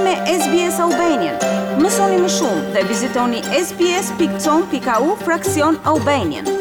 me SBS Albanian. Mësoni më shumë dhe vizitoni sbs.com.au fraksion Albanian.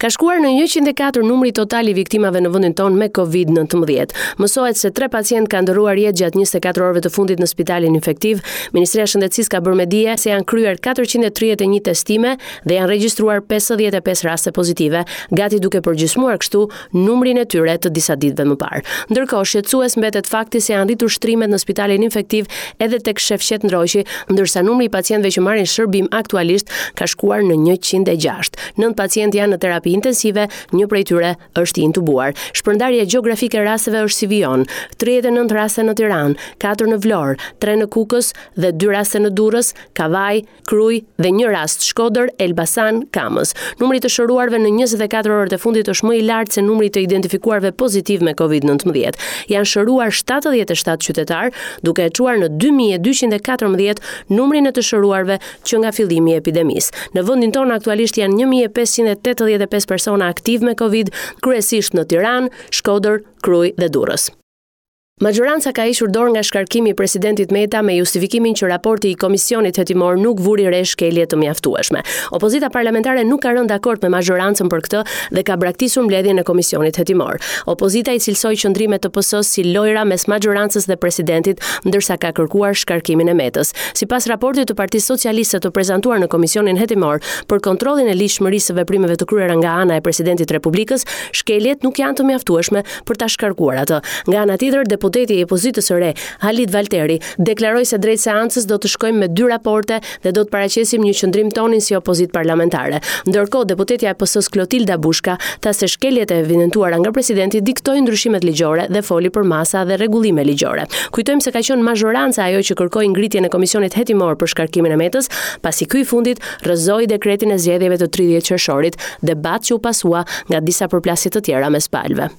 Ka shkuar në 104 numri total i viktimave në vendin tonë me Covid-19. Mësohet se tre pacientë kanë ndërruar jetë gjatë 24 orëve të fundit në spitalin infektiv. Ministria e Shëndetësisë ka bërë me dije se janë kryer 431 testime dhe janë regjistruar 55 raste pozitive, gati duke përgjysmuar kështu numrin e tyre të disa ditëve më parë. Ndërkohë, shqetësues mbetet fakti se janë rritur shtrimet në spitalin infektiv edhe tek Shefqet Ndroqi, ndërsa numri i pacientëve që marrin shërbim aktualisht ka shkuar në 106. Nëntë pacientë janë në terapi intensive, një prej tyre është i intubuar. Shpërndarja gjeografike e rasteve është si vijon: 39 raste në Tiranë, 4 në Vlorë, 3 në Kukës dhe 2 raste në Durrës, Kavajë, Krujë dhe një rast Shkodër, Elbasan, Kamëz. Numri i të shëruarve në 24 orët e fundit është më i lartë se numri i të identifikuarve pozitiv me Covid-19. Janë shëruar 77 qytetarë, duke e çuar në 2214 numrin e të shëruarve që nga fillimi i epidemisë. Në vendin tonë aktualisht janë 1585 persona aktivë me Covid, kryesisht në Tiranë, Shkodër, Krujë dhe Durrës. Maxhoranca ka hequr dorë nga shkarkimi i presidentit Meta me justifikimin që raporti i komisionit hetimor nuk vuri re shkelje të mjaftueshme. Opozita parlamentare nuk ka rënë dakord me maxhorancën për këtë dhe ka braktisur mbledhjen e komisionit hetimor. Opozita i cilësoi qëndrimet e PS-së si lojra mes maxhorancës dhe presidentit, ndërsa ka kërkuar shkarkimin e Metës. Sipas raportit të Partisë Socialiste të prezantuar në komisionin hetimor për kontrollin e ligjshmërisë së veprimeve të kryera nga ana e presidentit të Republikës, shkeljet nuk janë të mjaftueshme për ta shkarkuar atë. Nga ana tjetër, deputeti i opozitës së re, Halit Valteri, deklaroi se drejt seancës do të shkojmë me dy raporte dhe do të paraqesim një qëndrim tonin si opozitë parlamentare. Ndërkohë, deputetja e PS-së Klotilda Bushka tha se shkeljet e evidentuara nga presidenti diktojnë ndryshimet ligjore dhe foli për masa dhe rregullime ligjore. Kujtojmë se ka qenë mazhoranca ajo që kërkoi ngritjen e komisionit hetimor për shkarkimin e Metës, pasi ky i fundit rrëzoi dekretin e zgjedhjeve të 30 qershorit, debat që u pasua nga disa përplasje të tjera mes palëve.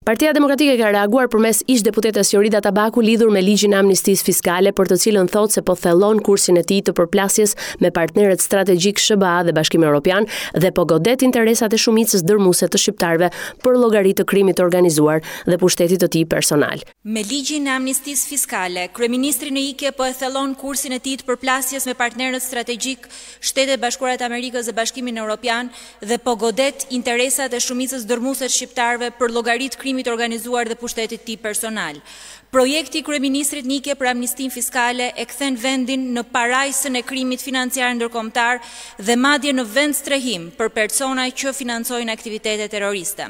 Partia Demokratike ka reaguar përmes ish-deputetes Jorida Tabaku lidhur me ligjin e amnistisë fiskale për të cilën thotë se po thellon kursin e tij të përplasjes me partnerët strategjikë SHBA dhe Bashkimin Evropian dhe po godet interesat e shumicës dërmuese të shqiptarëve për llogari të krimit të organizuar dhe pushtetit të tij personal. Me ligjin e amnistisë fiskale, kryeministri në ikje po e thellon kursin e tij të përplasjes me partnerët strategjikë, Shtetet e Bashkuara të Amerikës dhe Bashkimin Europian dhe po godet interesat e shumicës dërrmuese të shqiptarëve për llogari të krimit të organizuar dhe pushtetit të tij personal. Projekti i kryeministrit në ikje për amnistinë fiskale e kthen vendin në parajsën e krimit financiar ndërkombëtar dhe madje në vendstrehim për persona që financojnë aktivitete terroriste.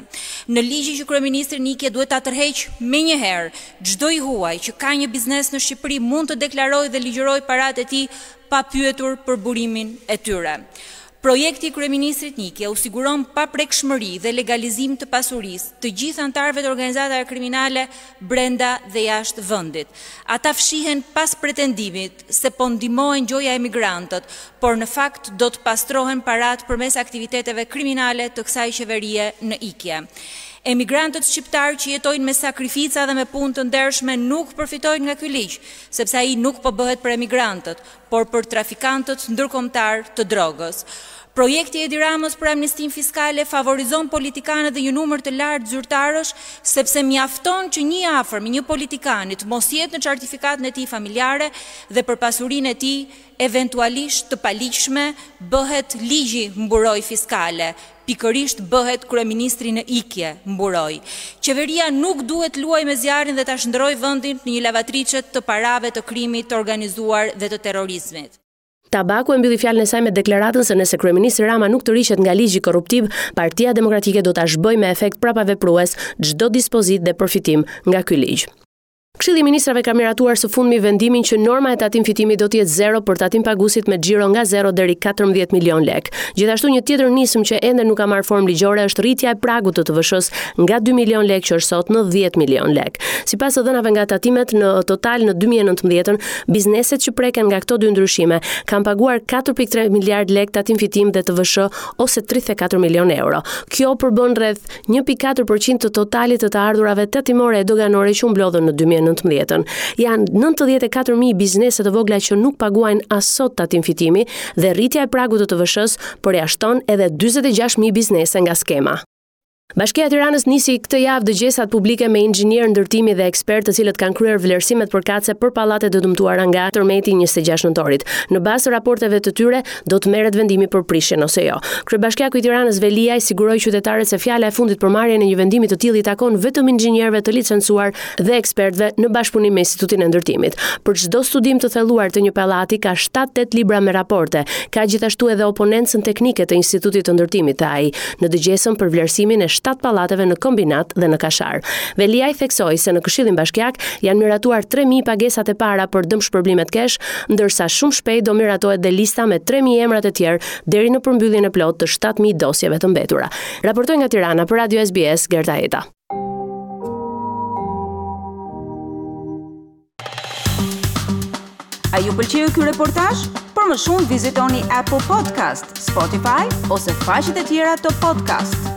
Në ligjin që kryeministri në ikje duhet ta tërheqë menjëherë, çdo i huaj që ka një biznes në Shqipëri mund të deklarojë dhe ligjërojë paratë e tij pa pyetur për burimin e tyre. Projekti i kryeministrit në ikje u siguron paprekshmëri dhe legalizim të pasurisë të gjithë anëtarëve të organizatave kriminale brenda dhe jashtë vendit. Ata fshihen pas pretendimit se po ndihmohen gjoja emigrantët, por në fakt do të pastrohen paratë përmes aktiviteteve kriminale të kësaj qeverie në ikje. Emigrantët shqiptarë që jetojnë me sakrifica dhe me punë të ndershme nuk përfitojnë nga ky ligj, sepse ai nuk po bëhet për emigrantët, por për trafikantët ndërkombëtarë të drogës. Projekti i Edi Ramës për amnistinë fiskale favorizon politikanët dhe një numër të lartë zyrtarësh, sepse mjafton që një i afërm i një politikani të mos jetë në certifikatën e tij familjare dhe për pasurinë e tij eventualisht të paligjshme bëhet ligji mburojë fiskale, Pikërisht bëhet kryeministri në ikje, mburojë. Qeveria nuk duhet të luajë me zjarrin dhe ta shndërrojë vendin në një lavatriçe të parave të krimit të organizuar dhe të terrorizmit. Tabaku e mbylli fjalën e saj me deklaratën se nëse kryeministri Rama nuk tërhiqet nga ligji korruptiv, Partia Demokratike do ta zhbëjë me efekt prapaveprues çdo dispozitë dhe përfitim nga ky ligj. Këshilli i Ministrave ka miratuar së fundmi vendimin që norma e tatim fitimit do të jetë zero për tatimpaguesit me xhiro nga 0 deri 14 milion lekë. Gjithashtu një tjetër nismë që ende nuk ka marrë formë ligjore është rritja e pragut të TVSH-së nga 2 milion lekë që është sot në 10 milion lekë. Sipas të dhënave nga tatimet në total në 2019-ën, bizneset që preken nga këto dy ndryshime kanë paguar 4.3 miliard lekë tatim fitim dhe TVSH ose 34 milion euro. Kjo përbën rreth 1.4 për qind të totalit të të ardhurave tatimore e doganore që u mblodhën në 2019. 2019-ën. Janë 94.000 biznese të vogla që nuk paguajnë as sot tatim fitimi dhe rritja e pragut të TVSH-së përjashton edhe 46.000 biznese nga skema. Bashkia e Tiranës nisi këtë javë dëgjesat publike me inxhinierë ndërtimi dhe ekspertë të cilët kanë kryer vlerësimet përkatëse për pallatet e dëmtuara nga tërmeti i 26 nëntorit. Në bazë të raporteve të tyre, do të merret vendimi për prishjen ose jo. Kryebashkiaku i Tiranës Veliaj siguroi qytetarët se fjala e fundit për marrjen e një vendimi të tillë i takon vetëm inxhinierëve të licencuar dhe ekspertëve në bashkëpunim me Institutin e Ndërtimit. Për çdo studim të thelluar të një pallati ka 7-8 libra me raporte. Ka gjithashtu edhe oponencën teknike të Institutit të Ndërtimit, tha ai, në dëgjesën për vlerësimin e 7 pallateve në Kombinat dhe në Kashar. Veliaj theksoi se në Këshillin Bashkiak janë miratuar 3000 pagesat e para për dëmshpërblimet cash, ndërsa shumë shpejt do miratohet dhe lista me 3000 emrat e tjerë deri në përmbylljen e plotë të 7000 dosjeve të mbetura. Raportoi nga Tirana për Radio SBS Gerta Heta. A ju pëlqeu ky reportazh? Për më shumë vizitoni Apple Podcast, Spotify ose faqet e tjera të podcast.